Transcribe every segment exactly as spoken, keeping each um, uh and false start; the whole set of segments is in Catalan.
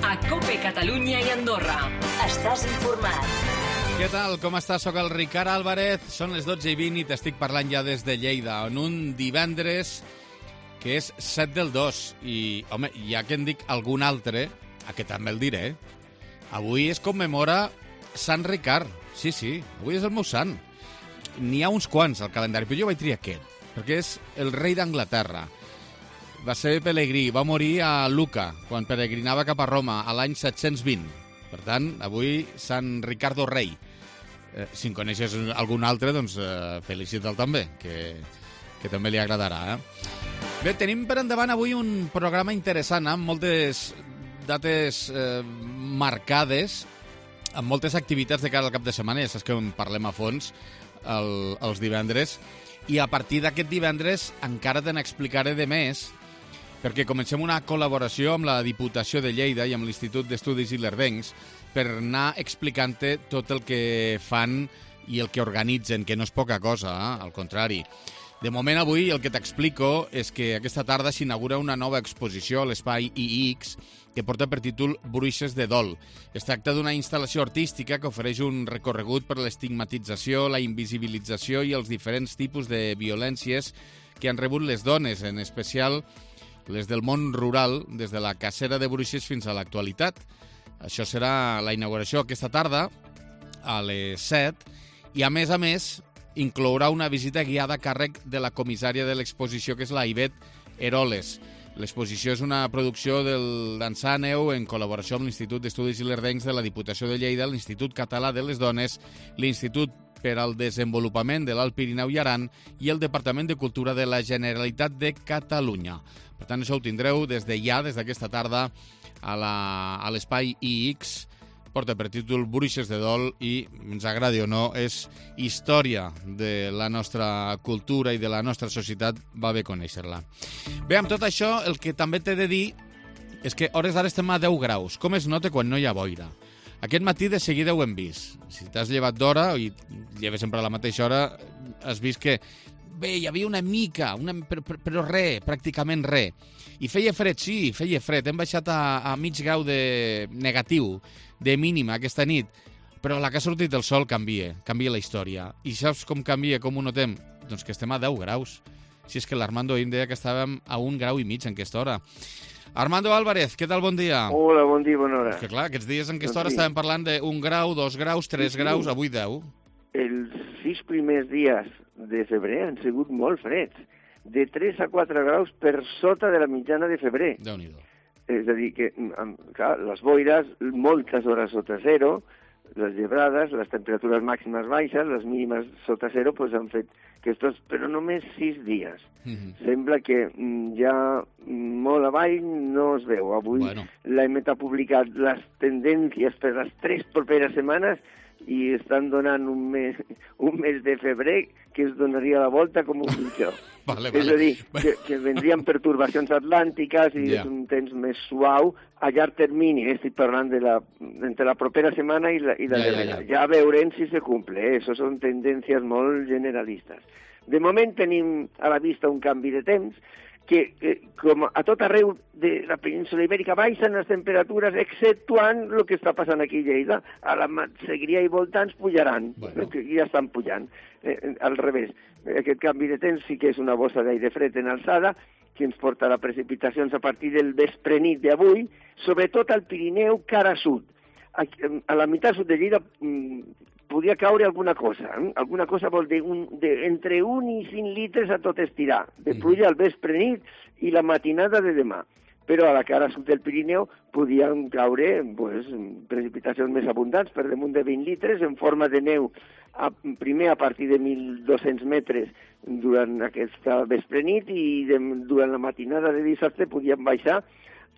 a COPE Catalunya i Andorra. Estàs informat. Què tal? Com estàs? Soc el Ricard Álvarez. Són les dotze i vint i t'estic parlant ja des de Lleida, en un divendres que és set del dos. I, home, ja que en dic algun altre, aquest també el diré, avui es commemora Sant Ricard. Sí, sí, avui és el meu sant. N'hi ha uns quants al calendari, però jo vaig triar aquest, perquè és el rei d'Anglaterra. Va ser pelegrí, va morir a Lucca, quan peregrinava cap a Roma, a l'any set-cents vint. Per tant, avui Sant Ricardo Rei. Eh, si en coneixes algun altre, doncs eh, felicita'l també, que, que també li agradarà. Eh? Bé, tenim per endavant avui un programa interessant, amb moltes dates eh, marcades, amb moltes activitats de cara al cap de setmana, ja saps que en parlem a fons el, els divendres, i a partir d'aquest divendres encara te n'explicaré de més, perquè comencem una col·laboració amb la Diputació de Lleida i amb l'Institut d'Estudis Ilerdencs per anar explicant-te tot el que fan i el que organitzen, que no és poca cosa, eh? Al contrari. De moment, avui, el que t'explico és que aquesta tarda s'inaugura una nova exposició a l'Espai I X que porta per títol Bruixes de Dol. Es tracta d'una instal·lació artística que ofereix un recorregut per l'estigmatització, la invisibilització i els diferents tipus de violències que han rebut les dones, en especial les del món rural, des de la cacera de bruixes fins a l'actualitat. Això serà la inauguració aquesta tarda, a les set, i a més a més inclourà una visita guiada a càrrec de la comissària de l'exposició, que és la Ivet Eroles. L'exposició és una producció del d'Ensàneu en col·laboració amb l'Institut d'Estudis Ilerdencs de la Diputació de Lleida, l'Institut Català de les Dones, l'Institut per al Desenvolupament de l'Alt Pirineu i Aran i el Departament de Cultura de la Generalitat de Catalunya. Per tant, això ho tindreu des de ja, des d'aquesta tarda, a la, a l'Espai I X. Porta per títol Bruixes de Dol i, ens agradi o no, és història de la nostra cultura i de la nostra societat. Va bé conèixer-la. Bé, amb tot això, el que també t'he de dir és que hores d'ara estem a deu graus. Com es nota quan no hi ha boira? Aquest matí de seguida ho hem vist. Si t'has llevat d'hora, i lleves sempre a la mateixa hora, has vist que bé, hi havia una mica, una, però, però res, pràcticament res. I feia fred, sí, feia fred. Hem baixat a, a mig grau de negatiu, de mínima, aquesta nit. Però la que ha sortit el sol canvia, canvia la història. I saps com canvia, com ho notem? Doncs que estem a deu graus. Si és que l'Armando ahir em deia que estàvem a un grau i mig en aquesta hora. Armando Álvarez, què tal? Bon dia. Hola, bon dia, bona hora. És que clar, aquests dies en aquesta hora estàvem parlant d'un grau, dos graus, tres sí, graus, avui deu. Els sis primers dies de febrer han sigut molt freds, de tres a quatre graus per sota de la mitjana de febrer. Déu-n'hi-do. És a dir, que clar, les boires, moltes hores sota zero, les llebrades, les temperatures màximes baixes, les mínimes sota zero, doncs han fet que estos, però només sis dies. Mm-hmm. Sembla que ja molt avall no es veu. Avui bueno. L'E M E T ha publicat les tendències per les tres properes setmanes i estan donant un mes, un mes de febrer que es donaria la volta com un mitjó. Vale, és vale. a dir, que, que vendrien pertorbacions atlàntiques i yeah. És un temps més suau a llarg termini. Estic parlant de la, entre la propera setmana i la, i la ja, darrera. Ja, ja. ja veurem si se cumple. Eh? Això són tendències molt generalistes. De moment tenim a la vista un canvi de temps que, que com a tot arreu de la península ibèrica baixen les temperatures, exceptuant el que està passant aquí a Lleida. A la Segrià i voltants pujaran, bueno. Que ja estan pujant. Eh, al revés, aquest canvi de temps sí que és una bossa d'aire fred en alçada, que ens portarà precipitacions a partir del vespre nit d'avui, sobretot al Pirineu cara sud. A, a la meitat sud de Lleida mmm, podria caure alguna cosa. Eh? Alguna cosa vol dir un, de, entre un i cinc litres a tot estirar, de pluja al vespre nit i la matinada de demà. Però a la cara sud del Pirineu podien caure pues, precipitacions més abundants, per damunt de vint litres, en forma de neu, a, primer a partir de mil dos-cents metres durant aquesta vespre nit i de, durant la matinada de dissabte podien baixar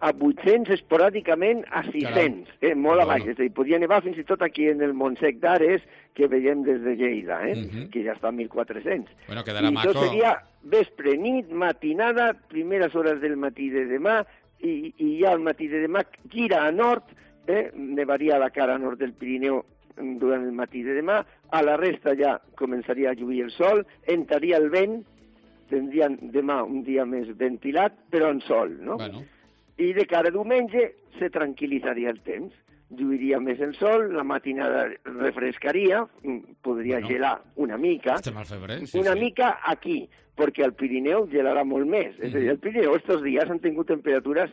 a vuit-cents esporàdicament a sis-cents, eh, molt a baix. És a dir, podia nevar fins i tot aquí en el Montsec d'Ares, que veiem des de Lleida, eh, uh-huh. que ja està a mil quatre-cents. Bueno, quedarà I maco. això seria vespre, nit, matinada, primeres hores del matí de demà, i, i ja al matí de demà gira a nord, eh, nevaria a la cara nord del Pirineu durant el matí de demà, a la resta ja començaria a lluir el sol, entraria el vent, tindrien demà un dia més ventilat, però en sol, no? Bueno. I de cara a diumenge se tranquil·litzaria el temps. Lluiria més el sol, la matinada refrescaria, podria bueno, gelar una mica. Estem al febrer, sí, una sí. mica aquí, perquè al Pirineu gelarà molt més. Mm-hmm. És a dir, al Pirineu estos dies han tingut temperatures...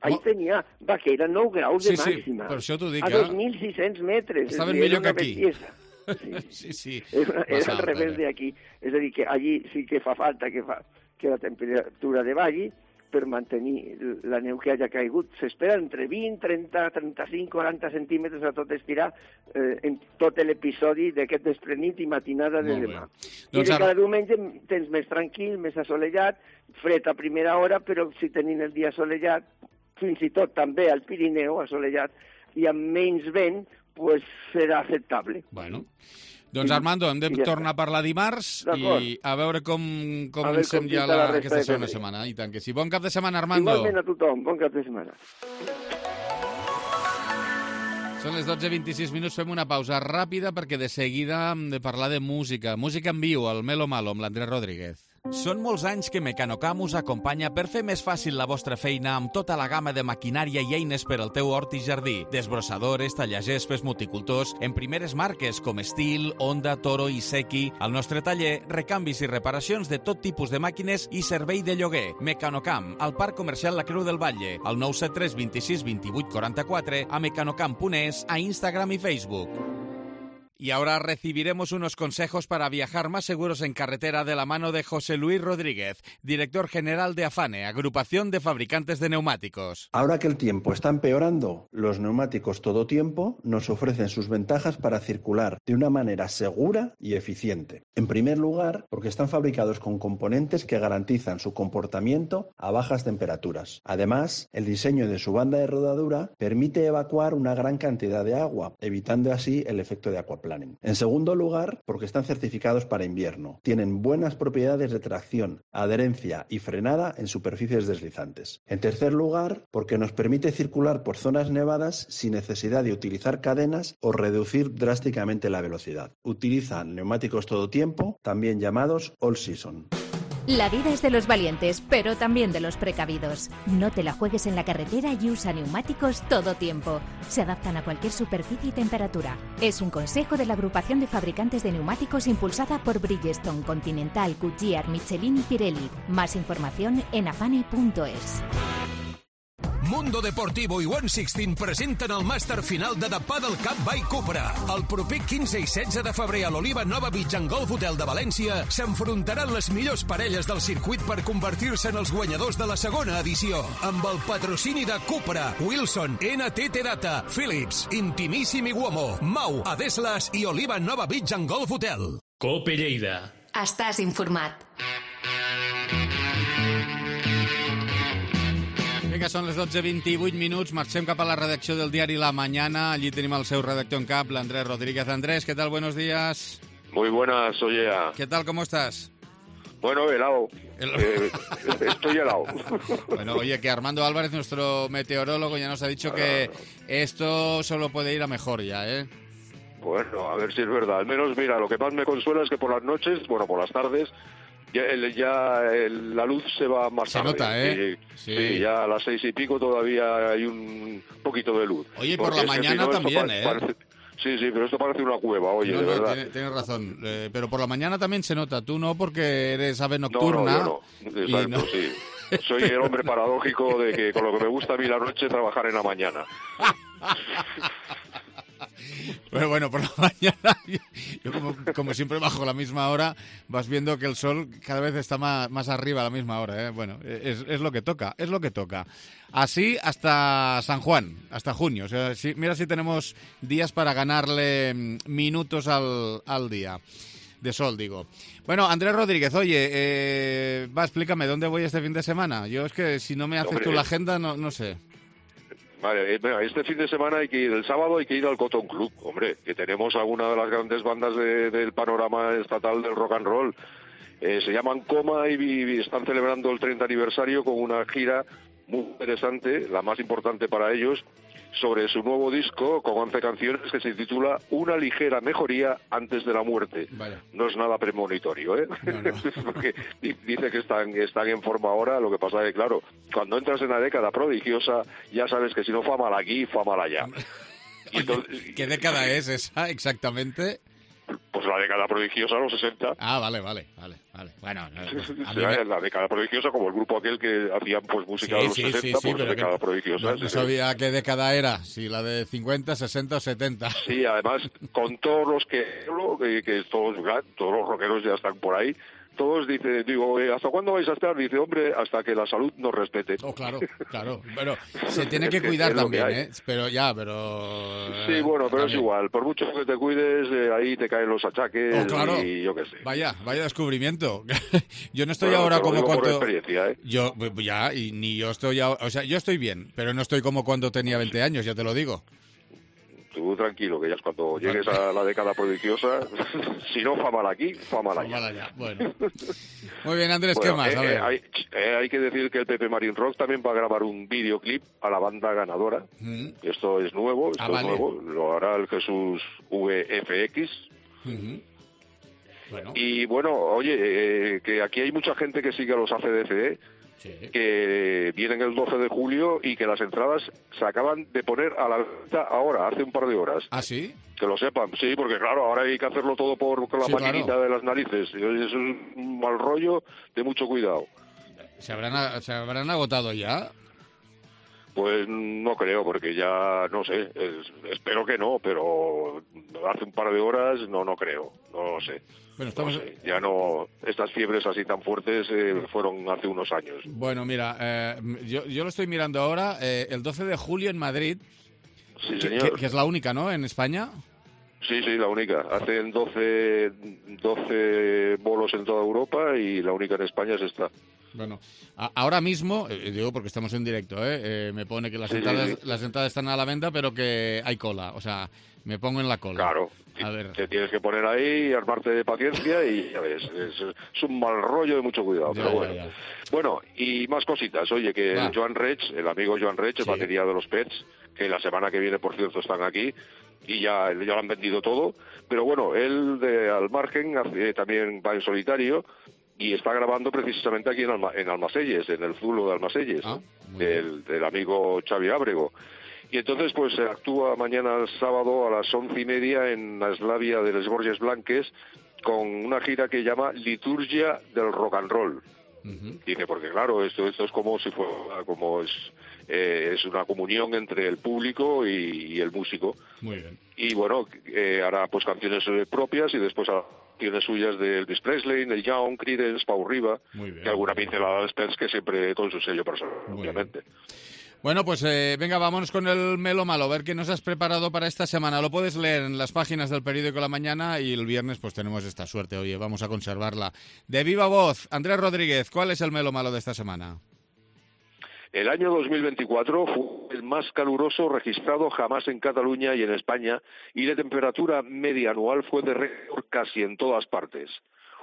Ahir oh. tenia Baqueira nou graus sí, de màxima. Sí, per això t'ho dic. A dos mil sis-cents metres. Estaven millor que aquí. Sí, sí, sí. Era, era al revés d'aquí. És a dir, que allí sí que fa falta que, fa, que la temperatura de balli per mantenir la neu que hagi caigut. S'espera entre vint, trenta, trenta-cinc, quaranta centímetres a tot estirar eh, en tot l'episodi d'aquest desprenit i matinada de demà. I doncs de cada diumenge tens més tranquil, més assolellat, fred a primera hora, però si tenim el dia assolellat, fins i tot també al Pirineu assolellat, i amb menys vent, pues serà acceptable. Bueno... Doncs Armando, hem de ja tornar a parlar dimarts i a veure com, com comencem ja la, aquesta segona setmana. I tant que sí. Bon cap de setmana, Armando. Igualment a tothom, bon cap de setmana. Són les dotze vint-i-sis minuts, fem una pausa ràpida perquè de seguida hem de parlar de música. Música en viu, al Melo Malo, amb l'Andrés Rodríguez. Són molts anys que Mecanocam us acompanya per fer més fàcil la vostra feina amb tota la gamma de maquinària i eines per al teu hort i jardí. Desbrossadores, tallagespes, multicultors, en primeres marques com Stihl, Honda, Toro i Seki. Al nostre taller, recanvis i reparacions de tot tipus de màquines i servei de lloguer. Mecanocam, al Parc Comercial La Creu del Batlle, al nou set tres dos sis dos vuit quatre quatre, a mecanocam punt es, a Instagram y Facebook. Y ahora recibiremos unos consejos para viajar más seguros en carretera de la mano de José Luis Rodríguez, director general de AFANE, Agrupación de Fabricantes de Neumáticos. Ahora que el tiempo está empeorando, los neumáticos todo tiempo nos ofrecen sus ventajas para circular de una manera segura y eficiente. En primer lugar, porque están fabricados con componentes que garantizan su comportamiento a bajas temperaturas. Además, el diseño de su banda de rodadura permite evacuar una gran cantidad de agua, evitando así el efecto de aquaplaning. En segundo lugar, porque están certificados para invierno. Tienen buenas propiedades de tracción, adherencia y frenada en superficies deslizantes. En tercer lugar, porque nos permite circular por zonas nevadas sin necesidad de utilizar cadenas o reducir drásticamente la velocidad. Utilizan neumáticos todo tiempo, también llamados all season. La vida es de los valientes, pero también de los precavidos. No te la juegues en la carretera y usa neumáticos todo tiempo. Se adaptan a cualquier superficie y temperatura. Es un consejo de la Agrupación de Fabricantes de Neumáticos impulsada por Bridgestone, Continental, Goodyear, Michelin y Pirelli. Más información en afane punto es. Mundo Deportivo i One Sixteen presenten el màster final de The Paddle Cup by Cupra. El proper quinze i setze de febrer a l'Oliva Nova Beach and Golf Hotel de València s'enfrontaran les millors parelles del circuit per convertir-se en els guanyadors de la segona edició. Amb el patrocini de Cupra, Wilson, N T T Data, Philips, Intimissimi Uomo, Mau, Adeslas i Oliva Nova Beach and Golf Hotel. Cope Lleida. Estàs informat. Vinga, són les dotze vint-i-vuit minuts, marxem cap a la redacció del diari La Mañana, allí tenim el seu redactor en cap, l'Andrés Rodríguez. Andrés, ¿qué tal? Buenos días. Muy buenas, oye. ¿Qué tal? ¿Cómo estás? Bueno, helado. El... Eh, estoy helado. Bueno, oye, que Armando Álvarez, nuestro meteorólogo, ya nos ha dicho que esto solo puede ir a mejor ya, ¿eh? Bueno, a ver si es verdad. Al menos, mira, lo que más me consuela es que por las noches, bueno, por las tardes, ya, el, ya el, la luz se va más se tarde. Se nota, ¿eh? Y, sí. sí, ya a las seis y pico todavía hay un poquito de luz. Oye, por la mañana si no, también, ¿eh? Parece... Sí, sí, pero esto parece una cueva, oye, no, de no, verdad. Tienes, tienes razón, eh, pero por la mañana también se nota. Tú no, porque eres ave nocturna. No, no, yo no. Exacto, no... sí. Soy el hombre paradójico de que con lo que me gusta a mí la noche trabajar en la mañana. Pero bueno, por la mañana, yo, yo como, como siempre bajo la misma hora, vas viendo que el sol cada vez está más, más arriba a la misma hora, ¿eh? Bueno, es, es lo que toca, es lo que toca. Así hasta San Juan, hasta junio. O sea, si, mira si tenemos días para ganarle minutos al, al día. De sol, digo. Bueno, Andrés Rodríguez, oye, eh, va, explícame, ¿dónde voy este fin de semana? Yo es que si no me haces Hombre, tú la agenda, no, no sé. Vale, este fin de semana hay que ir, el sábado hay que ir al Cotton Club, hombre, que tenemos alguna de las grandes bandas de, del panorama estatal del rock and roll. Eh, se llaman Coma y, y están celebrando el treinta aniversario con una gira muy interesante, la más importante para ellos, sobre su nuevo disco con once canciones que se titula Una ligera mejoría antes de la muerte. Vaya. No es nada premonitorio, ¿eh? No, no. Porque dice que están, están en forma ahora, lo que pasa es que, claro, cuando entras en la década prodigiosa, ya sabes que si no fa mal aquí, fa mal allá. Y entonces, ¿qué década es esa exactamente? Pues la década prodigiosa, los sesenta. Ah, vale, vale, vale, vale. Bueno, no, a mí me... la década prodigiosa, como el grupo aquel que hacían pues música sí, de los sí, sesenta, sí, sí, pues pero década que prodigiosa. No, no sabía qué década era, si la de cincuenta, sesenta o setenta. Sí, además, con todos los que que, que todos, todos los rockeros ya están por ahí, todos dicen, digo, ¿hasta cuándo vais a estar? Dice, hombre, hasta que la salud nos respete. Oh, claro, claro. Pero se tiene que cuidar es también, que ¿eh? Pero ya, pero... Sí, bueno, pero también. es igual. Por mucho que te cuides, eh, ahí te caen los achaques oh, claro. y yo qué sé. Vaya, vaya descubrimiento. Yo no estoy bueno, ahora te lo como digo cuando... por experiencia, ¿eh? Yo, ya, y ni yo estoy... O sea, yo estoy bien, pero no estoy como cuando tenía veinte años, ya te lo digo. Tú tranquilo, que ya es cuando llegues a la década prodigiosa, si no fa mal aquí, fa mal allá. allá. Bueno. Muy bien, Andrés, bueno, ¿qué más? Eh, a ver. Eh, hay, eh, hay que decir que el Pepe Marín Rock también va a grabar un videoclip a la banda ganadora. Mm. Esto es nuevo, esto ah, es vale. nuevo, lo hará el Jesús V F X. Uh-huh. Bueno. Y bueno, oye, eh, que aquí hay mucha gente que sigue a los A C D C D. Sí. Que vienen el doce de julio y que las entradas se acaban de poner a la venta ahora, hace un par de horas. ¿Ah, sí? Que lo sepan, sí, porque claro, ahora hay que hacerlo todo por con la sí, maquinita claro. de las narices. Eso es un mal rollo de mucho cuidado. ¿Se habrán, ¿se habrán agotado ya? Pues no creo, porque ya, no sé, es, espero que no, pero hace un par de horas no, no creo, no lo sé. Bueno, estamos... no sé, ya no, estas fiebres así tan fuertes eh, fueron hace unos años. Bueno, mira, eh, yo, yo lo estoy mirando ahora, eh, el doce de julio en Madrid, sí, que, señor. Que, que es la única, ¿no?, en España. Sí, sí, la única. Hacen doce, doce bolos en toda Europa y la única en España es esta. Bueno, a, ahora mismo, eh, digo porque estamos en directo, ¿eh? Eh, me pone que las, sí, entradas, sí, sí. las entradas están a la venta, pero que hay cola, o sea, me pongo en la cola. Claro, a ver. Te tienes que poner ahí, armarte de paciencia y ya ves, es, es un mal rollo de mucho cuidado, ya, pero bueno. Ya, ya. Bueno, y más cositas. Oye, que Va. el Joan Reig, el amigo Joan Reig, el Sí. batería de los Pets, que la semana que viene, por cierto, están aquí, y ya, ya lo han vendido todo, pero bueno, él de, al margen hace, también va en solitario y está grabando precisamente aquí en, Alma, en Almacelles, en el Zulo de Almacelles, ah, del, del amigo Xavi Ábrego. Y entonces pues actúa mañana sábado a las once y media en la Eslavia de les Borges Blanques con una gira que llama Liturgia del Rock and Roll. Uh-huh. Dice, porque claro, esto, esto es como si fuera, como es, eh, es una comunión entre el público y, y el músico. Muy bien. Y bueno, eh, hará pues canciones propias y después hará canciones suyas de Elvis Presley, Neil Young, Creedence, Pau Riva, y alguna pincelada de Spence que siempre con su sello personal, muy obviamente. Bien. Bueno, pues eh, venga, vámonos con el Melo Malo, a ver qué nos has preparado para esta semana. Lo puedes leer en las páginas del periódico La Mañana y el viernes pues tenemos esta suerte, oye, vamos a conservarla. De viva voz, Andrés Rodríguez, ¿cuál es el Melo Malo de esta semana? El año dos mil veinticuatro fue el más caluroso registrado jamás en Cataluña y en España, y la temperatura media anual fue de récord casi en todas partes.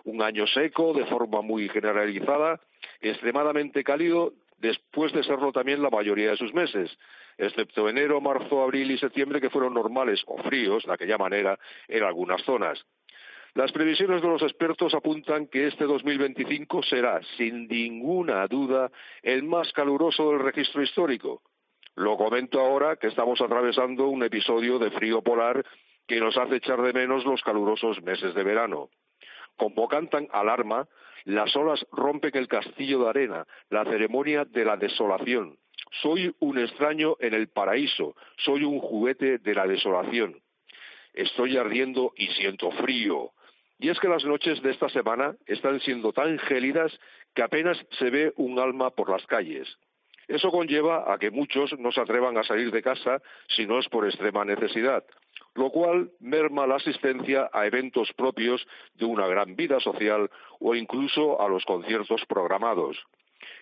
Un año seco, de forma muy generalizada, extremadamente cálido, después de serlo también la mayoría de sus meses, excepto enero, marzo, abril y septiembre, que fueron normales o fríos, de aquella manera, en algunas zonas. Las previsiones de los expertos apuntan que este dos mil veinticinco será, sin ninguna duda, el más caluroso del registro histórico. Lo comento ahora que estamos atravesando un episodio de frío polar que nos hace echar de menos los calurosos meses de verano. Como cantan alarma, las olas rompen el castillo de arena, la ceremonia de la desolación. Soy un extraño en el paraíso, soy un juguete de la desolación. Estoy ardiendo y siento frío. Y es que las noches de esta semana están siendo tan gélidas que apenas se ve un alma por las calles. Eso conlleva a que muchos no se atrevan a salir de casa si no es por extrema necesidad, lo cual merma la asistencia a eventos propios de una gran vida social o incluso a los conciertos programados.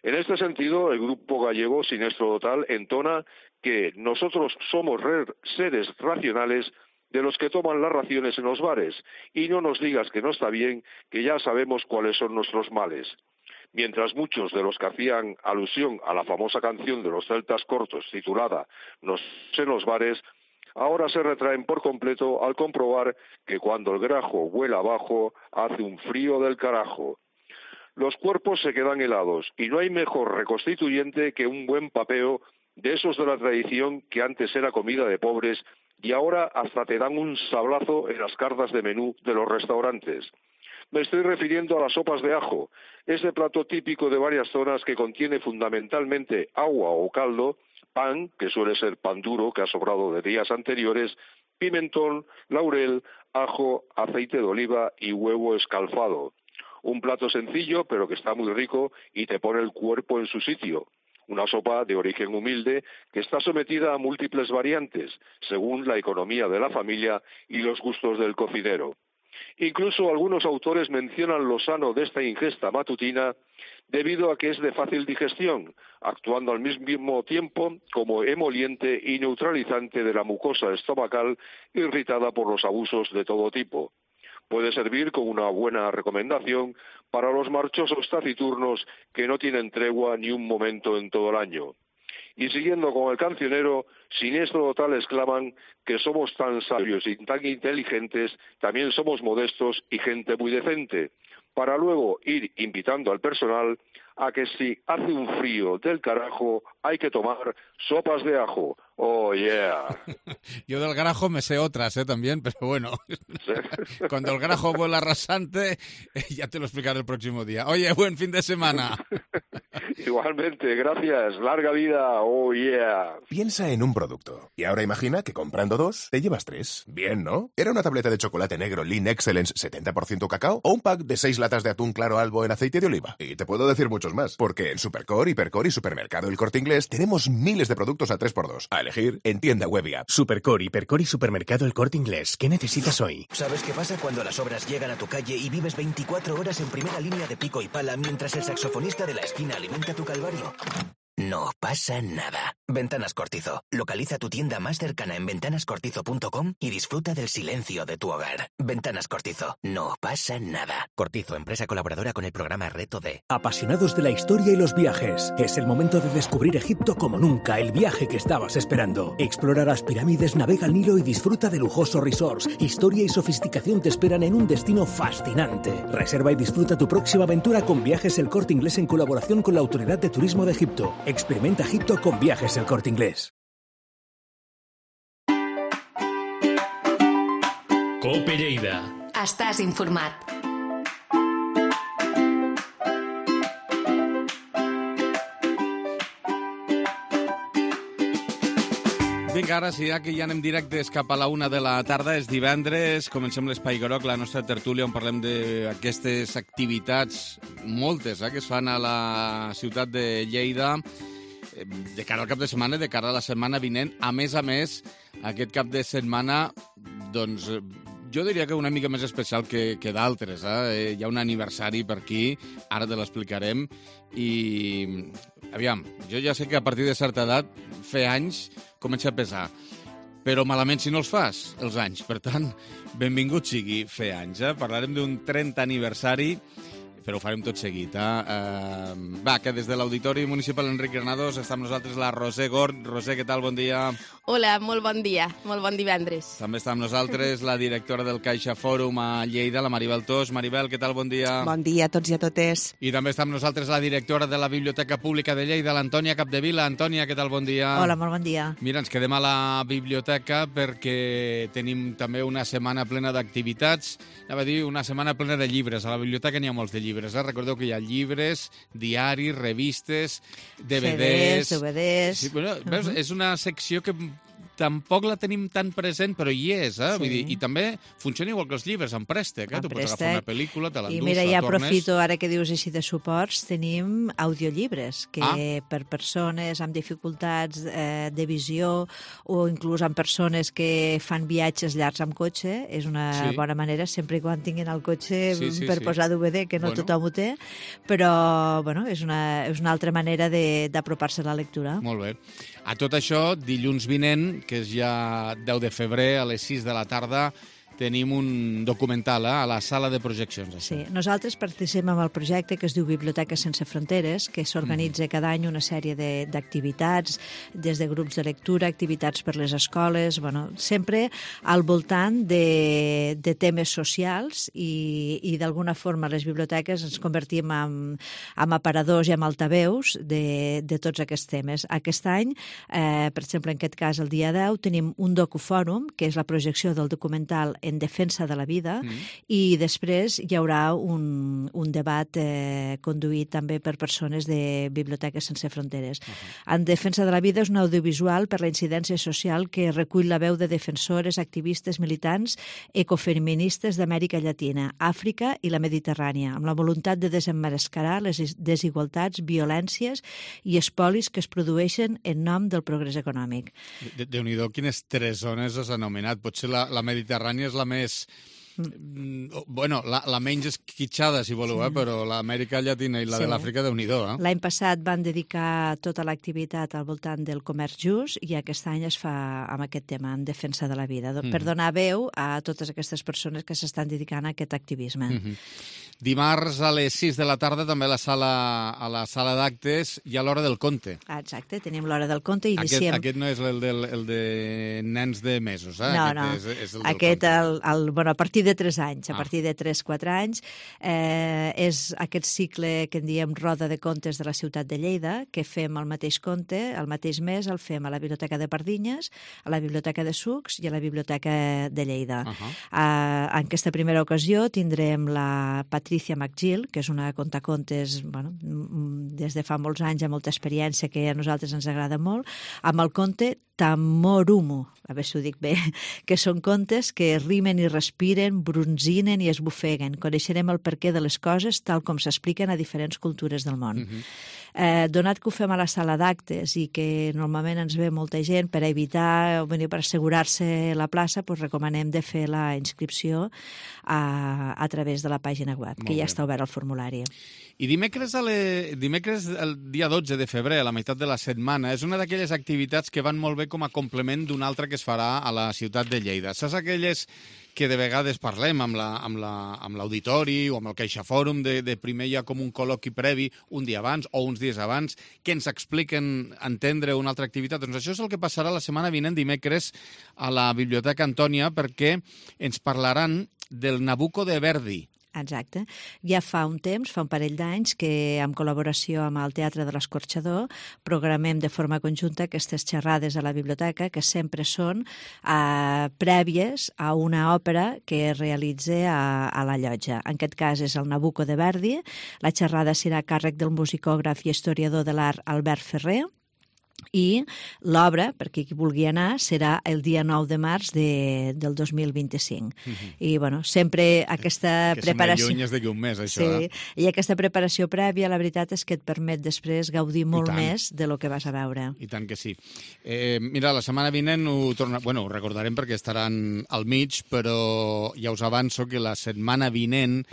En este sentido, el grupo gallego Sinestro Total entona que nosotros somos seres racionales de los que toman las raciones en los bares, y no nos digas que no está bien, que ya sabemos cuáles son nuestros males. Mientras muchos de los que hacían alusión a la famosa canción de los celtas cortos titulada No sé en los bares, ahora se retraen por completo al comprobar que cuando el grajo vuela abajo hace un frío del carajo. Los cuerpos se quedan helados y no hay mejor reconstituyente que un buen papeo de esos de la tradición que antes era comida de pobres y ahora hasta te dan un sablazo en las cartas de menú de los restaurantes. Me estoy refiriendo a las sopas de ajo, ese plato típico de varias zonas que contiene fundamentalmente agua o caldo, pan, que suele ser pan duro que ha sobrado de días anteriores, pimentón, laurel, ajo, aceite de oliva y huevo escalfado. Un plato sencillo pero que está muy rico y te pone el cuerpo en su sitio. Una sopa de origen humilde que está sometida a múltiples variantes, según la economía de la familia y los gustos del cocinero. Incluso algunos autores mencionan lo sano de esta ingesta matutina debido a que es de fácil digestión, actuando al mismo tiempo como emoliente y neutralizante de la mucosa estomacal irritada por los abusos de todo tipo. Puede servir como una buena recomendación para los marchosos taciturnos que no tienen tregua ni un momento en todo el año. Y siguiendo con el cancionero, siniestro total exclaman que somos tan sabios y tan inteligentes, también somos modestos y gente muy decente, para luego ir invitando al personal a que si hace un frío del carajo hay que tomar sopas de ajo. Oh, yeah. Yo del grajo me sé otras, ¿eh? También, pero bueno. ¿Sí? Cuando el grajo vuela rasante, ya te lo explicaré el próximo día. Oye, buen fin de semana. Igualmente, gracias. Larga vida. Oh, yeah. Piensa en un producto. Y ahora imagina que comprando dos, te llevas tres. Bien, ¿no? ¿Era una tableta de chocolate negro Lean Excellence setenta por ciento cacao o un pack de seis latas de atún claro albo en aceite de oliva? Y te puedo decir muchos más, porque en Supercore, Hipercore y Supermercado El Corte Inglés tenemos miles de productos a tres por dos. A elegir en tienda web y app. Supercore, Hipercore y Supermercado El Corte Inglés. ¿Qué necesitas hoy? ¿Sabes qué pasa cuando las obras llegan a tu calle y vives veinticuatro horas en primera línea de pico y pala mientras el saxofonista de la esquina alimenta tu calvario? No pasa nada. Ventanas Cortizo. Localiza tu tienda más cercana en ventanas cortizo punto com y disfruta del silencio de tu hogar. Ventanas Cortizo. No pasa nada. Cortizo, empresa colaboradora con el programa Reto D. Apasionados de la historia y los viajes. Es el momento de descubrir Egipto como nunca, el viaje que estabas esperando. Explora las pirámides, navega el Nilo y disfruta de lujosos resorts. Historia y sofisticación te esperan en un destino fascinante. Reserva y disfruta tu próxima aventura con Viajes El Corte Inglés en colaboración con la Autoridad de Turismo de Egipto. Experimenta Egipto con Viajes El Corte Inglés. Cope Lleida. Estàs informat. Vinga, ara sí, ja que ja anem directes cap a la una de la tarda, és divendres, comencem l'Espai Groc, la nostra tertúlia, on parlem d'aquestes activitats, moltes, eh, que es fan a la ciutat de Lleida, de cara al cap de setmana, de cara a la setmana vinent. A més a més, aquest cap de setmana, doncs, jo diria que una mica més especial que, que d'altres. Eh? Hi ha un aniversari per aquí, ara te l'explicarem, i aviam, jo ja sé que a partir de certa edat, fer anys, comença a pesar, però malament si no els fas, els anys. Per tant, benvingut sigui fer anys. Eh? Parlarem d'un trenta aniversari, però ho farem tot seguit. Eh? Uh, va, que des de l'Auditori Municipal Enric Granados està amb nosaltres la Roser Gort. Roser, què tal? Bon dia. Hola, molt bon dia, molt bon divendres. També està amb nosaltres la directora del Caixa Fòrum a Lleida, la Maribel Tos. Maribel, què tal? Bon dia. Bon dia a tots i a totes. I també està amb nosaltres la directora de la Biblioteca Pública de Lleida, l'Antònia Capdevila. Antònia, què tal? Bon dia. Hola, molt bon dia. Mira, ens quedem a la biblioteca perquè tenim també una setmana plena d'activitats. Anava a dir, una setmana plena de llibres. A la biblioteca n'hi ha molts de llibres. Eh? Recordeu que hi ha llibres, diaris, revistes, D V Ds... C Ds, D V Ds... Sí, bueno, veus, uh -huh. És una secció que tampoc la tenim tan present, però hi és, eh? Sí. Vull dir, i també funciona igual que els llibres, en préstec, eh? Tu pots agafar una pel·lícula, te l'endús, I mira, la ja tornes... aprofito, ara que dius així de suports, tenim audiollibres, que ah. per persones amb dificultats eh, de visió o inclús amb persones que fan viatges llargs amb cotxe, és una sí. bona manera, sempre i quan tinguin el cotxe sí, sí, per sí. posar D V D, que no bueno. tothom ho té, però bueno, és, una, és una altra manera d'apropar-se a la lectura. Molt bé. A tot això, dilluns vinent, que és ja deu de febrer, a les sis de la tarda, tenim un documental eh, a la sala de projeccions. Això. Sí, nosaltres participem en el projecte que es diu Biblioteques sense fronteres, que s'organitza mm. cada any una sèrie d'activitats, de, des de grups de lectura, activitats per les escoles, bueno, sempre al voltant de, de temes socials i, i d'alguna forma les biblioteques ens convertim en, en aparadors i en altaveus de, de tots aquests temes. Aquest any, eh, per exemple, en aquest cas, el dia deu, tenim un docufòrum, que és la projecció del documental En defensa de la vida, mm. i després hi haurà un, un debat eh, conduït també per persones de Biblioteques sense fronteres. Uh-huh. En defensa de la vida és un audiovisual per la incidència social que recull la veu de defensores, activistes, militants, ecofeministes d'Amèrica Llatina, Àfrica i la Mediterrània, amb la voluntat de desemmascarar les desigualtats, violències i espolis que es produeixen en nom del progrés econòmic. De, Déu-n'hi-do, quines tres zones has anomenat. Potser la, la Mediterrània és la més... Mm. Bueno, la, la menys esquitxada, si voleu, sí. eh? Però l'Amèrica Llatina i la sí. de l'Àfrica, Déu-n'hi-do. Eh? L'any passat van dedicar tota l'activitat al voltant del comerç just i aquest any es fa amb aquest tema, en defensa de la vida, mm. per donar veu a totes aquestes persones que s'estan dedicant a aquest activisme. Mm -hmm. Dimarts a les sis de la tarda també a la sala, a la sala d'actes hi ha l'Hora del Conte. Exacte, tenim l'Hora del Conte i iniciem... Aquest, aquest no és el, del, el de nens de mesos, eh? No, aquest no. És, és el aquest, el, el, bueno, a partir de tres anys, a ah. partir de tres quatre anys, eh, és aquest cicle que en diem Roda de Contes de la ciutat de Lleida, que fem el mateix conte, el mateix mes el fem a la Biblioteca de Pardinyes, a la Biblioteca de Sucs i a la Biblioteca de Lleida. Uh -huh. uh, en aquesta primera ocasió tindrem la Patricia McGill, que és una contacontes bueno, des de fa molts anys, amb molta experiència, que a nosaltres ens agrada molt, amb el conte Tamorumo, a veure si ho dic bé, que són contes que rimen i respiren, bronzinen i esbufeguen. Coneixerem el perquè de les coses tal com s'expliquen a diferents cultures del món. Uh-huh. eh, donat que ho fem a la sala d'actes i que normalment ens ve molta gent, per evitar, per assegurar-se la plaça, doncs recomanem de fer la inscripció a, a través de la pàgina web, molt que ja bé. Està obert el formulari. I dimecres, a le... dimecres el dia dotze de febrer, a la meitat de la setmana, és una d'aquelles activitats que van molt bé com a complement d'una altra que es farà a la ciutat de Lleida. Saps aquelles que de vegades parlem amb la, amb la, amb l'auditori o amb el CaixaFòrum, de, de primer hi ha com un col·loqui previ un dia abans o uns dies abans, que ens expliquen entendre una altra activitat. Doncs això és el que passarà la setmana vinent, dimecres, a la Biblioteca Antònia, perquè ens parlaran del Nabucco de Verdi. Exacte. Ja fa un temps, fa un parell d'anys, que en col·laboració amb el Teatre de l'Escorxador programem de forma conjunta aquestes xerrades a la biblioteca que sempre són eh, prèvies a una òpera que es realitza a, a la llotja. En aquest cas és el Nabucco de Verdi. La xerrada serà a càrrec del musicògraf i historiador de l'art Albert Ferrer. I l'obra, perquè qui vulgui anar, serà el dia nou de març de, del dos mil vint-i-cinc. Uh-huh. I, bueno, sempre aquesta que preparació... Que sembla lluny d'aquí un mes, això, sí, eh? I aquesta preparació prèvia, la veritat és que et permet després gaudir molt més de lo que vas a veure. I tant que sí. Eh, mira, la setmana vinent ho, torna... bueno, ho recordarem perquè estaran al mig, però ja us avanço que la setmana vinent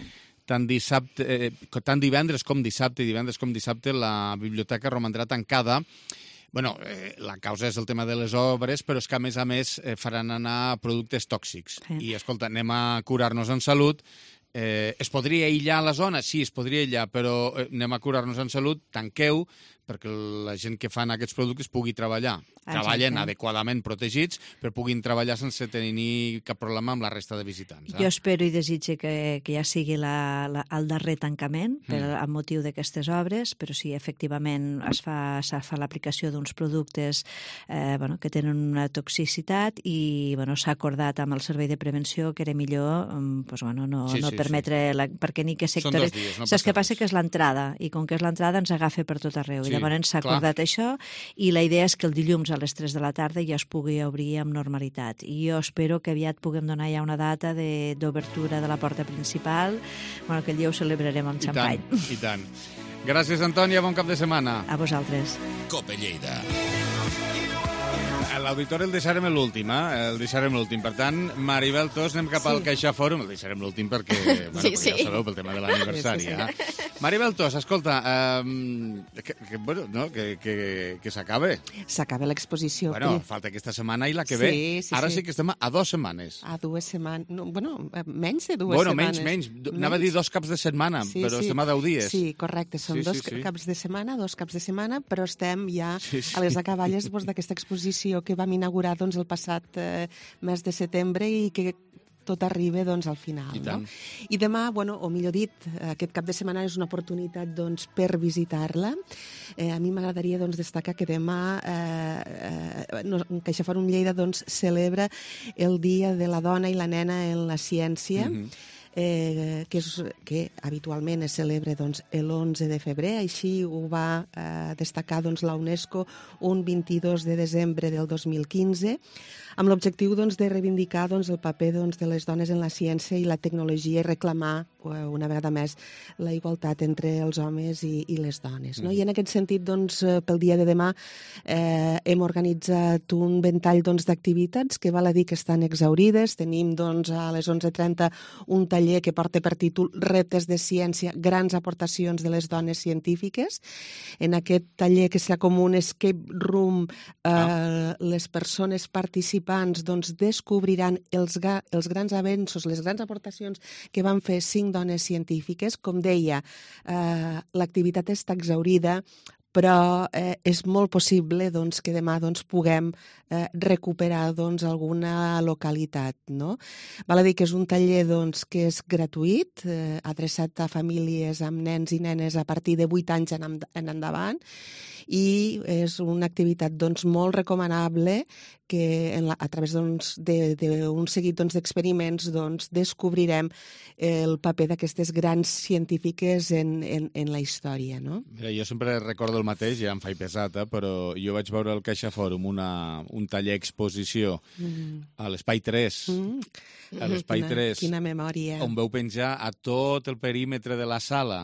tant, dissabte, eh, tant divendres com dissabte, divendres com dissabte, la biblioteca romandrà tancada. Bueno, eh, la causa és el tema de les obres, però és que, a més a més, eh, faran anar productes tòxics. Sí. I, escolta, anem a curar-nos en salut. Eh, es podria aïllar la zona? Sí, es podria aïllar, però eh, anem a curar-nos en salut, tanqueu, perquè la gent que fan aquests productes pugui treballar. Exacte. Treballen adequadament protegits, però puguin treballar sense tenir cap problema amb la resta de visitants. Eh? Jo espero i desitge que, que ja sigui la, la, el darrer tancament per, mm. amb motiu d'aquestes obres, però sí, efectivament, es fa, es fa l'aplicació d'uns productes eh, bueno, que tenen una toxicitat i bueno, s'ha acordat amb el Servei de Prevenció que era millor pues, bueno, no, sí, no sí, permetre... Sí. La, perquè ni que sectors... Són dos dies, no Saps què passa? res. Que és l'entrada, i com que és l'entrada ens agafa per tot arreu. Sí. I llavors s'ha acordat això i la idea és que el dilluns a les tres de la tarda ja es pugui obrir amb normalitat. I jo espero que aviat puguem donar ja una data d'obertura de, de la porta principal, bueno, que el dia ho celebrarem amb xampany. I tant, i tant. Gràcies, Antònia, bon cap de setmana. A vosaltres. Cope Lleida. L'auditori el deixarem l'últim, eh? El deixarem l'últim. Per tant, Maribel Tos, anem cap sí. al CaixaFòrum. El deixarem l'últim perquè, bueno, sí, perquè sí. ja ho sabeu, pel tema de l'aniversari. Sí, sí. Eh? Maribel Tos, escolta, um, que, que, bueno, no, que, que, que s'acabe. S'acaba l'exposició. Bueno, falta aquesta setmana i la que ve. Sí, sí, Ara sí. sí que estem a dos setmanes. A dues setmanes. No, bueno, menys de dues bueno, setmanes. Menys, menys. Anava a dir dos caps de setmana, sí, però sí. estem a deu dies. Sí, correcte. Són sí, dos sí, sí. caps de setmana, dos caps de setmana, però estem ja sí, sí. a les acaballes doncs, d'aquesta exposició que vam inaugurar doncs, el passat eh, mes de setembre i que tot arriba doncs, al final. I, no? I demà, bueno, o millor dit, aquest cap de setmana és una oportunitat doncs, per visitar-la. Eh, a mi m'agradaria doncs, destacar que demà eh, eh, no, CaixaForum Lleida doncs, celebra el Dia de la Dona i la Nena en la Ciència, mm-hmm. Eh, que, és, que habitualment es celebra doncs, l'onze de febrer, així ho va eh, destacar doncs, la UNESCO un vint-i-dos de desembre del dos mil quinze, amb l'objectiu doncs, de reivindicar doncs, el paper doncs, de les dones en la ciència i la tecnologia i reclamar eh, una vegada més la igualtat entre els homes i, i les dones. No? Mm. I en aquest sentit, doncs, pel dia de demà eh, hem organitzat un ventall doncs, d'activitats que val a dir que estan exaurides. Tenim doncs, a les onze trenta un taller que porta per títol Reptes de ciència, grans aportacions de les dones científiques. En aquest taller, que serà com un escape room, eh, ah. les persones participants doncs, descobriran els, ga, els grans avenços, les grans aportacions que van fer cinc dones científiques. Com deia, eh, l'activitat està exaurida, però eh, és molt possible doncs, que demà doncs, puguem eh, recuperar doncs, alguna localitat. No? Val a dir que és un taller doncs, que és gratuït, eh, adreçat a famílies amb nens i nenes a partir de vuit anys en, en endavant, i és una activitat doncs, molt recomanable que en la, a través doncs, d'un seguit doncs, d'experiments doncs, descobrirem el paper d'aquestes grans científiques en, en, en la història. No? Mira, jo sempre recordo el mateix, ja em faig pesat, eh, però jo vaig veure al CaixaForum una, un taller exposició mm. a l'Espai tres, mm. a l'Espai tres, quina memòria, on veu penjar a tot el perímetre de la sala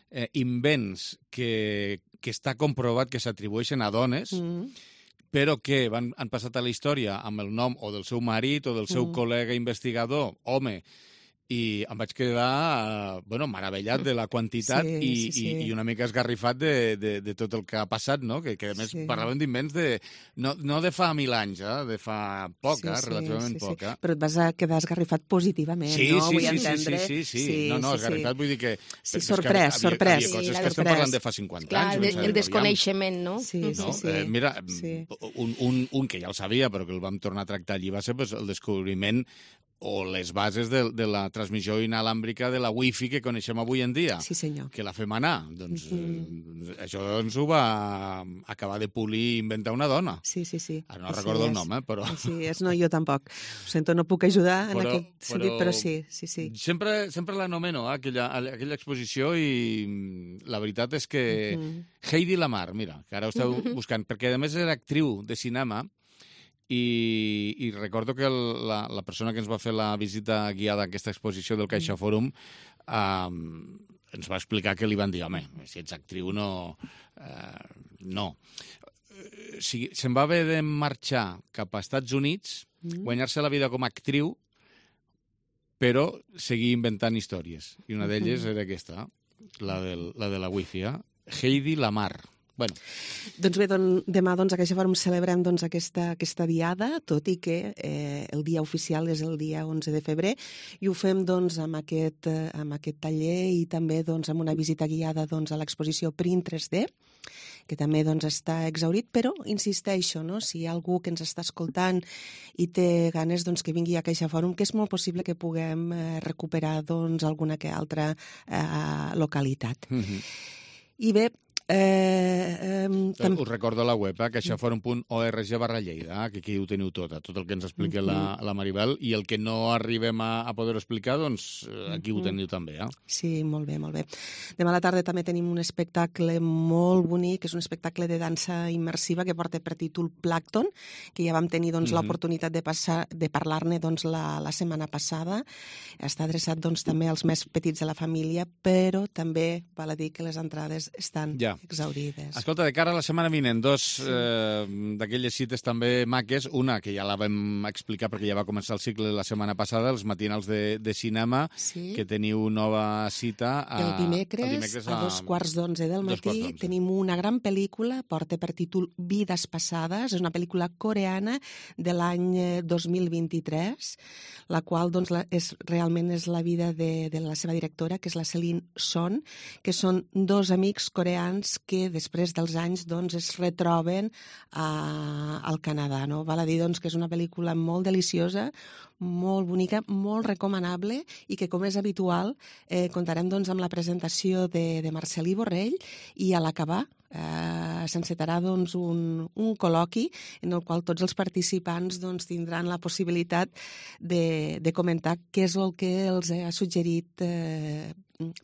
eh, invents que, que està comprovat que s'atribueixen a dones, mm. però que van, han passat a la història amb el nom o del seu marit o del seu mm. col·lega investigador, home, i em vaig quedar bueno, meravellat de la quantitat sí, i, sí, sí. I, i una mica esgarrifat de, de, de tot el que ha passat, no? Que, que a més sí. parlàvem d'invents de, no, no de fa mil anys, eh? De fa poc, sí, eh? relativament sí, sí, poc. Eh? Però et vas a quedar esgarrifat positivament, sí, no? Sí, Vull sí, entendre... sí, sí, sí, sí. No, no, esgarrifat sí. vull dir que... Sí, sorprès, havia, sorprès. Havia coses sí, que estem parlant de fa cinquanta Clar, anys. El, el desconeixement, no? Sí, no? sí, sí. Eh, mira, sí. Un, un, un que ja el sabia, però que el vam tornar a tractar allí, va ser pues, el descobriment o les bases de, de la transmissió inalàmbrica de la wifi que coneixem avui en dia. Sí, senyor. Que la fem anar. Doncs mm-hmm. eh, això ens ho va acabar de polir i inventar una dona. Sí, sí, sí. Ara no sí, recordo és. el nom, eh, però... Sí, és, no, jo tampoc. Ho sento, no puc ajudar en però, aquest sentit, però, però sí, sí, sí. Sempre, sempre l'anomeno, eh, aquella, aquella exposició, i la veritat és que mm-hmm. Heidi Lamar, mira, que ara ho esteu mm-hmm. buscant, perquè a més era actriu de cinema. I, i recordo que el, la, la persona que ens va fer la visita guiada a aquesta exposició del CaixaForum um, ens va explicar que li van dir, home, si ets actriu no... Uh, no. O sigui, se'n va haver de marxar cap a Estats Units, mm. guanyar-se la vida com a actriu, però seguir inventant històries. I una d'elles era aquesta, la, del, la de la wifi, eh? Heidi Lamar. Bueno. Doncs bé, doncs, demà doncs, a CaixaForum celebrem doncs, aquesta, aquesta diada, tot i que eh, el dia oficial és el dia onze de febrer, i ho fem doncs, amb, aquest, eh, amb aquest taller i també doncs, amb una visita guiada doncs, a l'exposició Print tres D, que també doncs, està exaurit, però insisteixo, no? Si hi ha algú que ens està escoltant i té ganes doncs, que vingui a CaixaForum, que és molt possible que puguem eh, recuperar doncs, alguna que altra eh, localitat. Mm-hmm. I bé, Eh, eh, tam... Us recordo la web, eh, caixaforum punt org barra Lleida, que aquí ho teniu tot, tot el que ens explica la, la Maribel, i el que no arribem a, a poder explicar, doncs aquí ho teniu també. Eh? Sí, molt bé, molt bé. Demà a la tarda també tenim un espectacle molt bonic, és un espectacle de dansa immersiva que porta per títol Plàncton, que ja vam tenir doncs, mm-hmm. l'oportunitat de, passar, de parlar-ne doncs, la, la setmana passada. Està adreçat doncs, també als més petits de la família, però també val a dir que les entrades estan... Ja. Ja. exaurides. Escolta, de cara a la setmana vinent, dos sí. eh, d'aquelles cites també maques. Una, que ja la vam explicar perquè ja va començar el cicle la setmana passada, els matinals de, de cinema, sí. que teniu nova cita. A, el dimecres, el dimecres a, a dos quarts d'onze del matí, tenim una gran pel·lícula, porta per títol Vides passades, és una pel·lícula coreana de l'any dos mil vint-i-tres, la qual doncs, la, és, realment és la vida de, de la seva directora, que és la Celine Son, que són dos amics coreans que després dels anys doncs, es retroben a, al Canadà. No? Val a dir doncs, que és una pel·lícula molt deliciosa, molt bonica, molt recomanable i que, com és habitual, eh, comptarem doncs, amb la presentació de, de Marcel·lí Borrell i a l'acabar eh, s'encetarà doncs, un, un col·loqui en el qual tots els participants doncs, tindran la possibilitat de, de comentar què és el que els ha suggerit eh,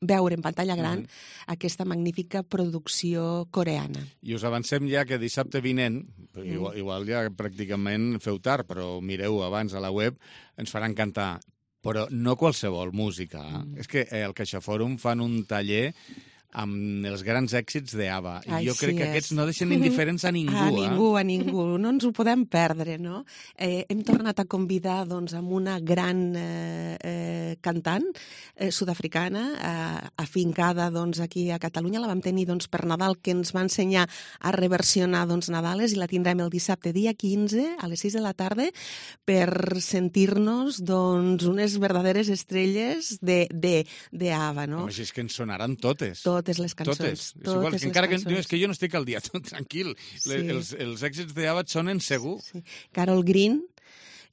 veure en pantalla gran mm. aquesta magnífica producció coreana. I us avancem ja que dissabte vinent, mm. igual, igual ja pràcticament feu tard, però mireu abans a la web, ens faran cantar, però no qualsevol música. Mm. És que el CaixaForum fan un taller amb els grans èxits d'ABBA. I jo crec que és. Aquests no deixen indiferents a ningú. A ningú, eh? a ningú. No ens ho podem perdre, no? Eh, hem tornat a convidar doncs, amb una gran eh, eh, cantant eh, sud-africana, eh, afincada doncs, aquí a Catalunya. La vam tenir doncs, per Nadal, que ens va ensenyar a reversionar doncs, Nadales, i la tindrem el dissabte, dia quinze, a les sis de la tarda, per sentir-nos doncs, unes verdaderes estrelles de, de, de ABBA, no? Home, és que ens sonaran totes. Totes les cançons. Totes. totes igual, les encara cançons. que, és que jo no estic al dia, tot tranquil. Sí. Les, els, els èxits d'ABBA et sonen segur. Sí. Carol Green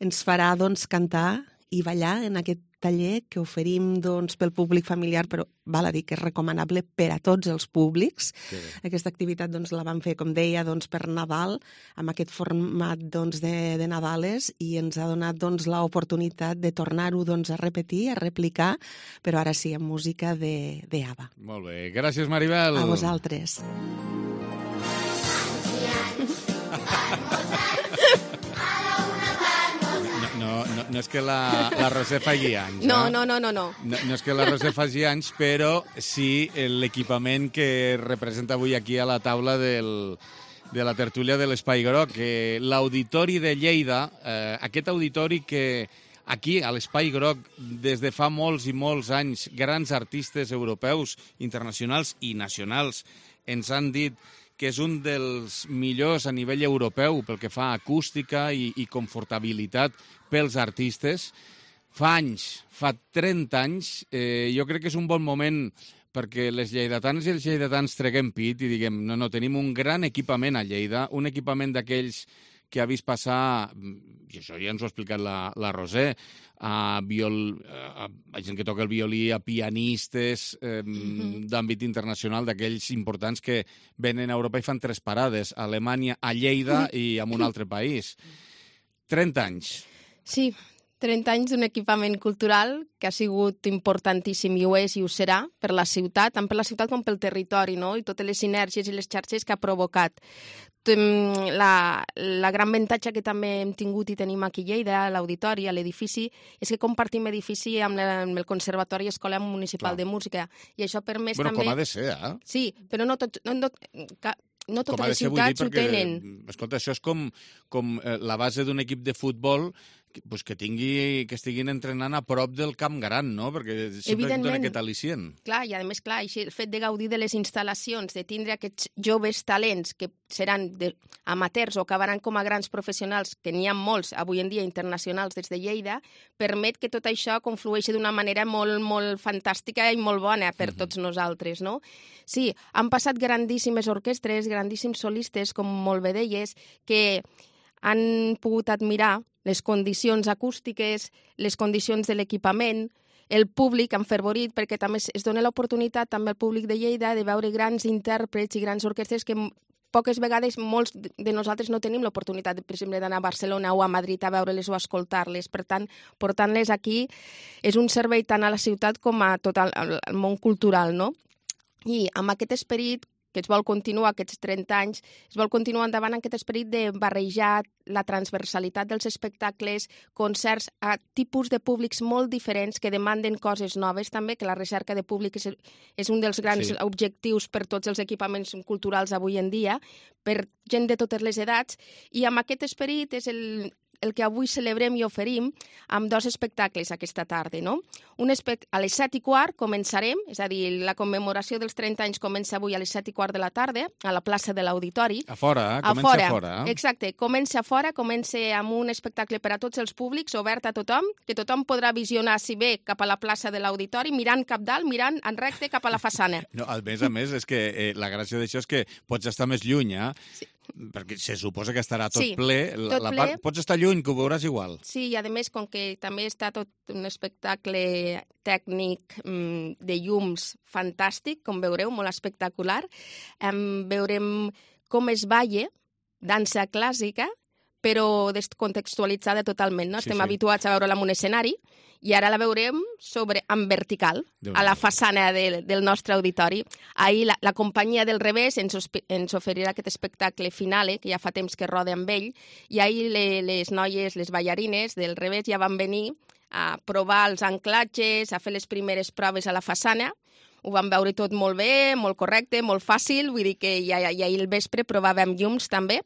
ens farà doncs, cantar i ballar en aquest taller que oferim doncs, pel públic familiar, però val a dir que és recomanable per a tots els públics. Sí. Aquesta activitat doncs, la vam fer, com deia, doncs, per Nadal, amb aquest format doncs, de, de Nadales, i ens ha donat doncs, l'oportunitat de tornar-ho doncs, a repetir, a replicar, però ara sí, amb música de, de ABBA. Molt bé. Gràcies, Maribel. A vosaltres. No, no, no és que la, la Roser faci anys. No, eh? no, no, no, no. No, no és que la Roser faci anys, però sí l'equipament que representa avui aquí a la taula del, de la tertúlia de l'Espai Groc, que l'Auditori de Lleida, eh, aquest auditori que aquí, a l'Espai Groc, des de fa molts i molts anys, grans artistes europeus, internacionals i nacionals ens han dit que és un dels millors a nivell europeu pel que fa a acústica i, i confortabilitat pels artistes. Fa anys, fa trenta anys, eh, jo crec que és un bon moment perquè les lleidatanes i els lleidatans treguem pit i diguem, no, no, tenim un gran equipament a Lleida, un equipament d'aquells que ha vist passar, i això ja ens ho ha explicat la, la Roser, a, viol, a, a gent que toca el violí, a pianistes eh, mm-hmm. d'àmbit internacional, d'aquells importants que venen a Europa i fan tres parades, a Alemanya, a Lleida i en un altre país. trenta anys. Sí, trenta anys d'un equipament cultural que ha sigut importantíssim i ho és i ho serà per la ciutat, tant per la ciutat com pel territori, no? I totes les sinergies i les xarxes que ha provocat. La, la gran avantatge que també hem tingut i tenim aquí a Lleida, a l'auditori, a l'edifici, és que compartim edifici amb, la, amb el Conservatori Escola Municipal Clar. de Música. I això per més bueno, també... com ha de ser, eh? Sí, però no tot... No, no, no totes les ciutats ho tenen. Escolta, això és com, com la base d'un equip de futbol pues que tingui, que estiguin entrenant a prop del camp gran, no? Perquè sempre dona aquest al·licient. Clar, i a més, clar, el fet de gaudir de les instal·lacions, de tindre aquests joves talents que seran de, amateurs o acabaran com a grans professionals, que n'hi ha molts avui en dia internacionals des de Lleida, permet que tot això conflueixi d'una manera molt, molt fantàstica i molt bona per mm-hmm. tots nosaltres, no? Sí, han passat grandíssimes orquestres, grandíssims solistes, com molt bé deies, que han pogut admirar les condicions acústiques, les condicions de l'equipament, el públic enfervorit, perquè també es dona l'oportunitat també al públic de Lleida de veure grans intèrprets i grans orquestres que poques vegades molts de nosaltres no tenim l'oportunitat, per exemple, d'anar a Barcelona o a Madrid a veure-les o a escoltar-les. Per tant, portant-les aquí és un servei tant a la ciutat com a tot el, el món cultural, no? I amb aquest esperit que es vol continuar aquests trenta anys, es vol continuar endavant en aquest esperit de barrejar la transversalitat dels espectacles, concerts a tipus de públics molt diferents que demanden coses noves també, que la recerca de públic és, és un dels grans sí. objectius per tots els equipaments culturals avui en dia, per gent de totes les edats, i amb aquest esperit és el, el que avui celebrem i oferim amb dos espectacles aquesta tarda, no? Un espect... A les set i quart començarem, és a dir, la commemoració dels trenta anys comença avui a les set i quart de la tarda, a la plaça de l'Auditori. A fora, eh? Comença a fora. a fora. Exacte, comença a fora, comença amb un espectacle per a tots els públics, obert a tothom, que tothom podrà visionar, si bé, cap a la plaça de l'Auditori, mirant cap dalt, mirant en recte cap a la façana. No, a més a més, és que eh, la gràcia d'això és que pots estar més lluny, eh? Sí. Perquè se suposa que estarà tot sí, ple. La, tot la ple. Part, pots estar lluny, que ho veuràs igual. Sí, i a més, com que també està tot un espectacle tècnic mm, de llums fantàstic, com veureu, molt espectacular, em, veurem com es balla, dansa clàssica, però descontextualitzada totalment. No? Sí, Estem sí. habituats a veure-la en un escenari, i ara la veurem sobre, en vertical, a la façana de, del nostre auditori. Ahir la, la companyia del Revés ens, ens oferirà aquest espectacle finale, que ja fa temps que roda amb ell, i ahir le, les noies, les ballarines del Revés ja van venir a provar els anclatges, a fer les primeres proves a la façana. Ho vam veure tot molt bé, molt correcte, molt fàcil, vull dir que ja, ja ahir al vespre provàvem llums també,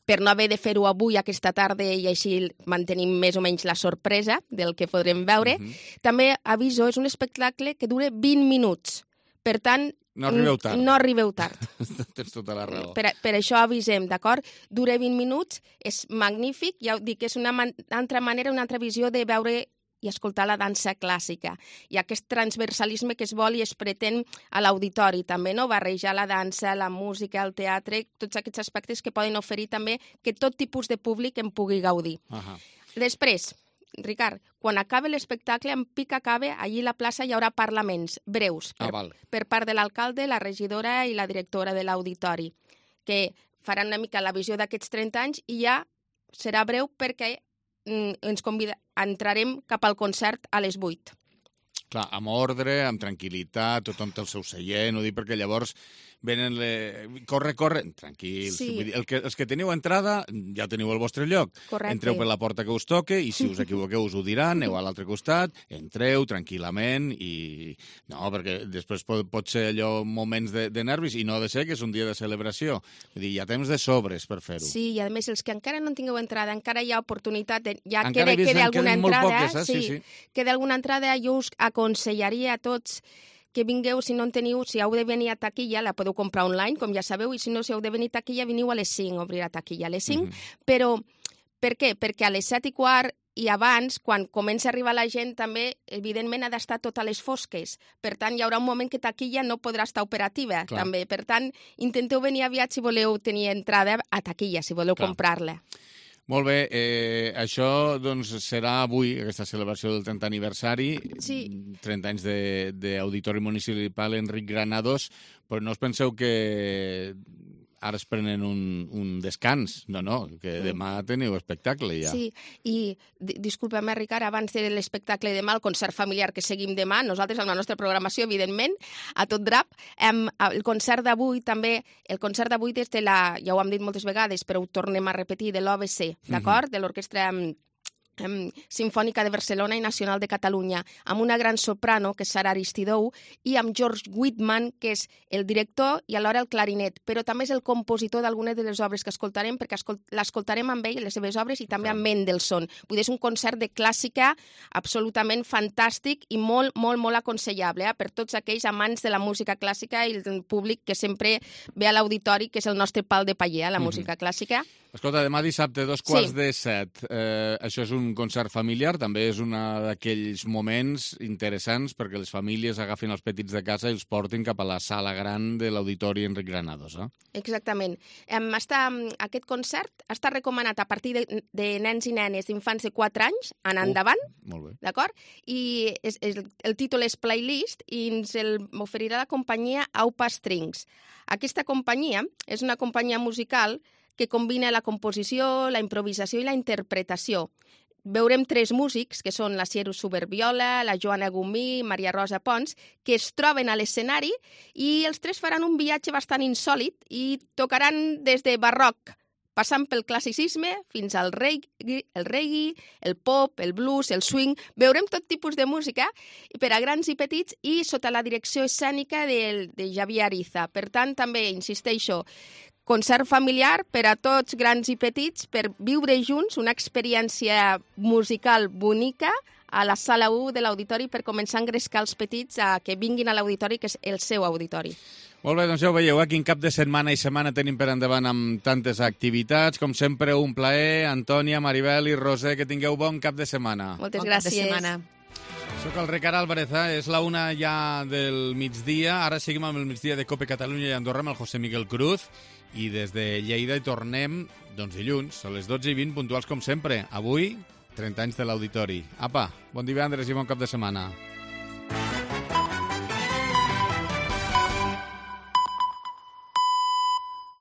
per no haver de fer-ho avui, aquesta tarda, i així mantenim més o menys la sorpresa del que podrem veure. Mm-hmm. També, aviso, és un espectacle que dura vint minuts. Per tant, no arribeu tard. No arribeu tard. Tens tota la raó. Per, per això avisem, d'acord? Dura vint minuts, és magnífic, ja ho dic, és una man- altra manera, una altra visió de veure i escoltar la dansa clàssica. I aquest transversalisme que es vol i es pretén a l'auditori també, no? Barrejar la dansa, la música, el teatre, tots aquests aspectes que poden oferir també que tot tipus de públic en pugui gaudir. Uh-huh. Després, Ricard, quan acabe l'espectacle, en pic acabe, allí a la plaça hi haurà parlaments breus per, ah, per part de l'alcalde, la regidora i la directora de l'auditori, que faran una mica la visió d'aquests trenta anys i ja serà breu perquè ens convida, entrarem cap al concert a les vuit. Clar, amb ordre, amb tranquil·litat, tothom té el seu seient, ho dic perquè llavors venen... Le... Corre, corre, tranquils. Sí. Vull dir, el que, els que teniu entrada ja teniu el vostre lloc. Correcte. Entreu per la porta que us toque i si us equivoqueu us ho diran, aneu a l'altre costat, entreu tranquil·lament i... No, perquè després pot, pot ser allò moments de, de nervis i no ha de ser que és un dia de celebració. Vull dir, hi ha temps de sobres per fer-ho. Sí, i a més, els que encara no tingueu entrada, encara hi ha oportunitat, de, ja encara queda, queda alguna entrada, poques, eh? sí, sí. queda alguna entrada, jo us aconsellaria a tots que vingueu, si no en teniu, si heu de venir a taquilla, la podeu comprar online, com ja sabeu, i si no, si heu de venir a taquilla, veniu a les cinc, obrirà taquilla a les cinc, mm-hmm. però per què? Perquè a les set i quart i abans, quan comença a arribar la gent, també, evidentment, ha d'estar tot a les fosques. Per tant, hi haurà un moment que taquilla no podrà estar operativa, Clar. també. Per tant, intenteu venir aviat si voleu tenir entrada a taquilla, si voleu Clar. comprar-la. Molt bé, eh, això doncs, serà avui, aquesta celebració del trentè aniversari, sí. trenta anys d'Auditori Municipal Enric Granados, però no us penseu que ara es prenen un, un descans. No, no, que demà teniu espectacle ja. Sí, i disculpa'm, Ricard, abans de l'espectacle demà, el concert familiar que seguim demà, nosaltres amb la nostra programació, evidentment, a tot drap, em, el concert d'avui també, el concert d'avui des de la, ja ho hem dit moltes vegades, però ho tornem a repetir, de l'O B C, d'acord? Mm-hmm. De l'Orquestra Simfònica de Barcelona i Nacional de Catalunya, amb una gran soprano, que és Sara Aristidou, i amb George Whitman, que és el director i alhora el clarinet, però també és el compositor d'algunes de les obres que escoltarem, perquè l'escoltarem amb ell, les seves obres, i també amb Mendelssohn. Vull dir, és un concert de clàssica absolutament fantàstic i molt, molt, molt aconsellable eh? per tots aquells amants de la música clàssica i el públic que sempre ve a l'auditori, que és el nostre pal de paller, eh? la música mm-hmm. clàssica. Escolta, demà dissabte, dos quarts sí. de set. Eh, això és un concert familiar, també és un d'aquells moments interessants perquè les famílies agafin els petits de casa i els portin cap a la sala gran de l'Auditori Enric Granados. Eh? Exactament. Um, està, aquest concert està recomanat a partir de, de nens i nenes d'infants de quatre anys en uh, endavant. Molt bé. D'acord? I és, és, el títol és Playlist i ens el oferirà la companyia Aupa Strings. Aquesta companyia és una companyia musical que combina la composició, la improvisació i la interpretació. veurem tres músics, que són la Sieru Superviola, la Joana Gumí, Maria Rosa Pons, que es troben a l'escenari i els tres faran un viatge bastant insòlit i tocaran des de barroc, passant pel classicisme fins al reggae, el reggae, el pop, el blues, el swing. Veurem tot tipus de música per a grans i petits i sota la direcció escènica de, de Javier Ariza. Per tant, també, insisteixo, concert familiar per a tots grans i petits per viure junts una experiència musical bonica a la sala u de l'auditori per començar a engrescar els petits a que vinguin a l'auditori, que és el seu auditori. Molt bé, doncs ja ho veieu, eh? Quin cap de setmana i setmana tenim per endavant amb tantes activitats. Com sempre, un plaer. Antònia, Maribel i Roser, que tingueu bon cap de setmana. Moltes bon gràcies. Cap de setmana. Soc el Ricard Álvarez, eh? És la una ja del migdia. Ara seguim amb el migdia de Cope Catalunya i Andorra amb el José Miguel Cruz. I des de Lleida hi tornem, doncs dilluns, a les dotze i vint, puntuals com sempre. Avui, trenta anys de l'Auditori. Apa, bon divendres i bon cap de setmana.